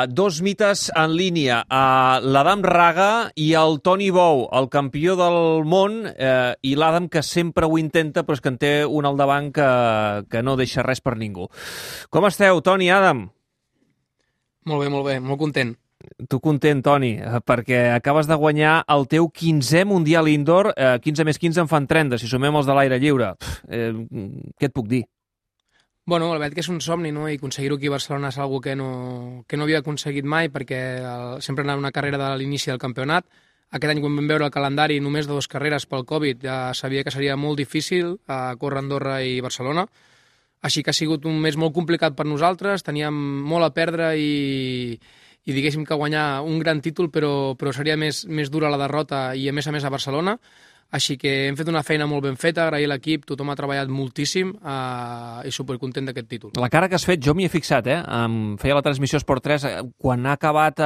Dos mites en línia, l'Adam Raga i el Toni Bou, el campió del món, i l'Adam que sempre ho intenta, però és que en té un al davant que no deixa res per ningú. Com esteu, Toni, Adam? Molt bé, molt content. Tu content, Toni, perquè acabes de guanyar el teu 15è Mundial Indoor, 15 més 15 en fan 30, si sumem els de l'aire lliure. Què et puc dir? Bueno, la veritat que és un somni, no? I aconseguir-ho aquí a Barcelona és una que no havia aconseguit mai, perquè sempre anava una carrera de l'inici del campionat. Aquest any, quan vam veure el calendari, només de 2 carreres pel Covid, ja sabia que seria molt difícil córrer Andorra i Barcelona. Així que ha sigut un mes molt complicat per nosaltres, teníem molt a perdre i diguéssim que guanyar un gran títol, però seria més dura la derrota i a més a Barcelona. Així que hem fet una feina molt ben feta, agrair l'equip, tothom ha treballat moltíssim i supercontent d'aquest títol. La cara que has fet, jo m'hi he fixat, feia la transmissió Esport 3, quan ha acabat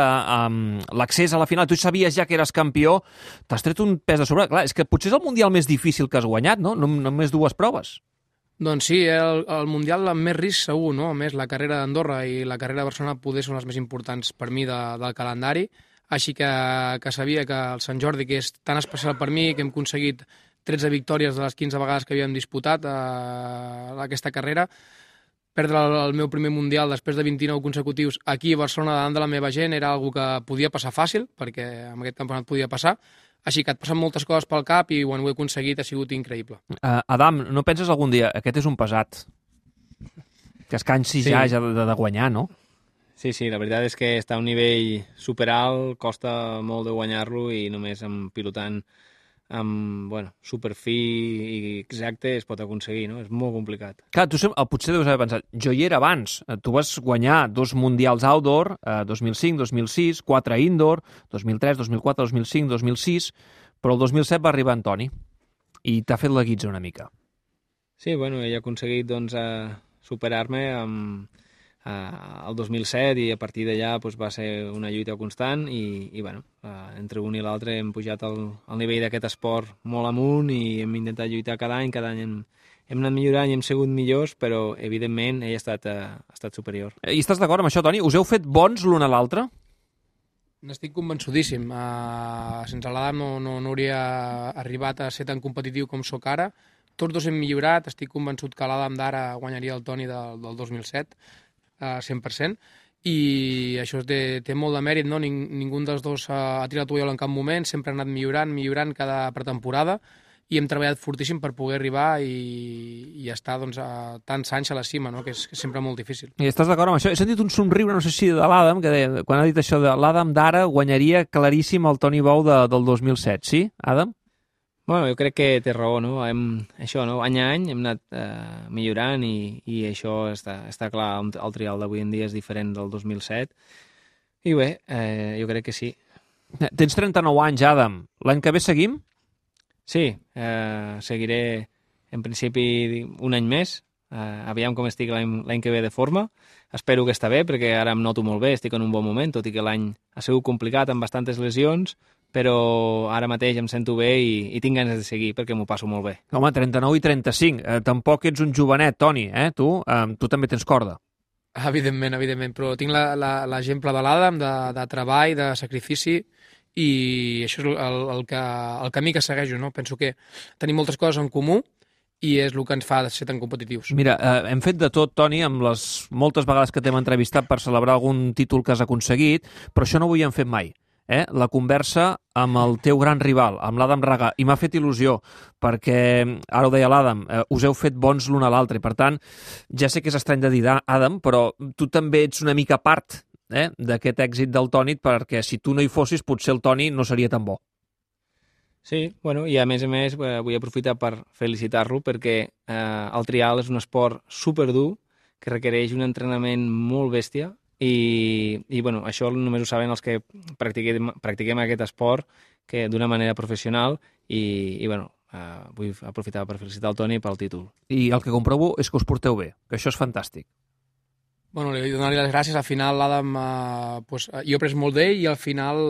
l'accés a la final, tu sabies ja que eres campió, t'has tret un pes de sobre. Clar, és que potser és el Mundial més difícil que has guanyat, no? Només 2 proves. Doncs sí, el Mundial amb més risc segur, no? A més, la carrera d'Andorra i la carrera de Barcelona poder són les més importants per mi del calendari, així que sabia que el Sant Jordi, que és tan especial per mi, que hem aconseguit 13 victòries de les 15 vegades que havíem disputat aquesta carrera, perdre el meu primer Mundial després de 29 consecutius aquí a Barcelona davant de la meva gent era algo que podia passar fàcil, perquè en aquest campionat podia passar, així que et passen moltes coses pel cap i quan ho he aconseguit ha sigut increïble. Adam, no penses algun dia, aquest és un pesat, que es cansi ja de guanyar, no? Sí, la veritat és que està a un nivell superalt, costa molt de guanyar-lo i només pilotant amb superfi i exacte es pot aconseguir, no? És molt complicat. Clar, tu potser deus haver pensat, jo hi era abans, tu vas guanyar 2 mundials outdoor, 2005, 2006, 4 indoor, 2003, 2004, 2005, 2006, però el 2007 va arribar en Toni i t'ha fet la guitza una mica. Sí, ell ha aconseguit superar-me el 2007 i a partir d'allà va ser una lluita constant i entre un i l'altre hem pujat el nivell d'aquest esport molt amunt i hem intentat lluitar cada any hem anat millorant i hem sigut millors, però evidentment ell ha estat superior. I estàs d'acord amb això, Toni? Us heu fet bons l'un a l'altre? N'estic convençudíssim. Sense l'Adam no hauria arribat a ser tan competitiu com sóc ara. Tots dos hem millorat, estic convençut que l'Adam d'ara guanyaria el Toni del 2007, 100%, i això té molt de mèrit, no? Ningú dels dos ha tirat tovallola en cap moment, sempre ha anat millorant cada pretemporada i hem treballat fortíssim per poder arribar i estar tants anys a la cima, no? Que és sempre molt difícil. I estàs d'acord amb això? He sentit un somriure, no sé si de l'Adam, que deia, quan ha dit això de l'Adam d'ara guanyaria claríssim el Toni Bou del 2007, sí, Adam? Jo crec que té raó, no? Això, no? Any a any hem anat millorant i això està clar, el trial d'avui en dia és diferent del 2007 i bé, jo crec que sí. Tens 39 anys, Adam. L'any que ve seguim? Sí, seguiré en principi un any més, aviam com estic l'any que ve de forma, espero que està bé perquè ara em noto molt bé, estic en un bon moment, tot i que l'any ha sigut complicat amb bastantes lesions, però ara mateix em sento bé i tinc ganes de seguir perquè m'ho passo molt bé. Home, 39 i 35. Tampoc ets un jovenet, Toni, Tu també tens corda. Evidentment, però tinc l'exemple de l'Adam, de treball, de sacrifici, i això és el camí que segueixo, no? Penso que tenim moltes coses en comú i és el que ens fa ser tan competitius. Mira, hem fet de tot, Toni, amb les moltes vegades que t'hem entrevistat per celebrar algun títol que has aconseguit, però això no ho havíem fet mai. La conversa amb el teu gran rival, amb l'Adam Raga, i m'ha fet il·lusió, perquè, ara ho deia l'Adam, us heu fet bons l'un a l'altre, i per tant, ja sé que és estrany de dir, Adam, però tu també ets una mica part d'aquest èxit del Toni, perquè si tu no hi fossis, potser el Toni no seria tan bo. Sí, i a més vull aprofitar per felicitar-lo perquè el trial és un esport superdur que requereix un entrenament molt bèstia i això només ho saben els que practiquem aquest esport que d'una manera professional i vull aprofitar per felicitar el Toni pel títol. I el que comprovo és que us porteu bé, que això és fantàstic. Li donar-li les gràcies. Al final l'Adam, jo he après molt d'ell i al final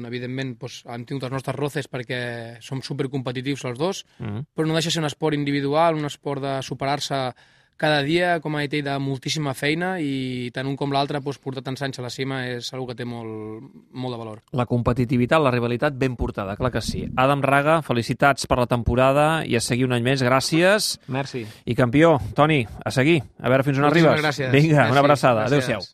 evidentment, hem tingut els nostres roces perquè som supercompetitius els dos, però no deixa ser un esport individual, un esport de superar-se cada dia, com ha dit ell, de moltíssima feina i tant un com l'altre portar tants anys a la cima és una que té molt de valor. La competitivitat, la rivalitat ben portada, clar que sí. Adam Raga, felicitats per la temporada i a seguir un any més, gràcies. Merci. I campió, Toni, a seguir, a veure fins on arribes. Gràcies. Vinga, Merci. una abraçada. Gràcies. Adéu-siau.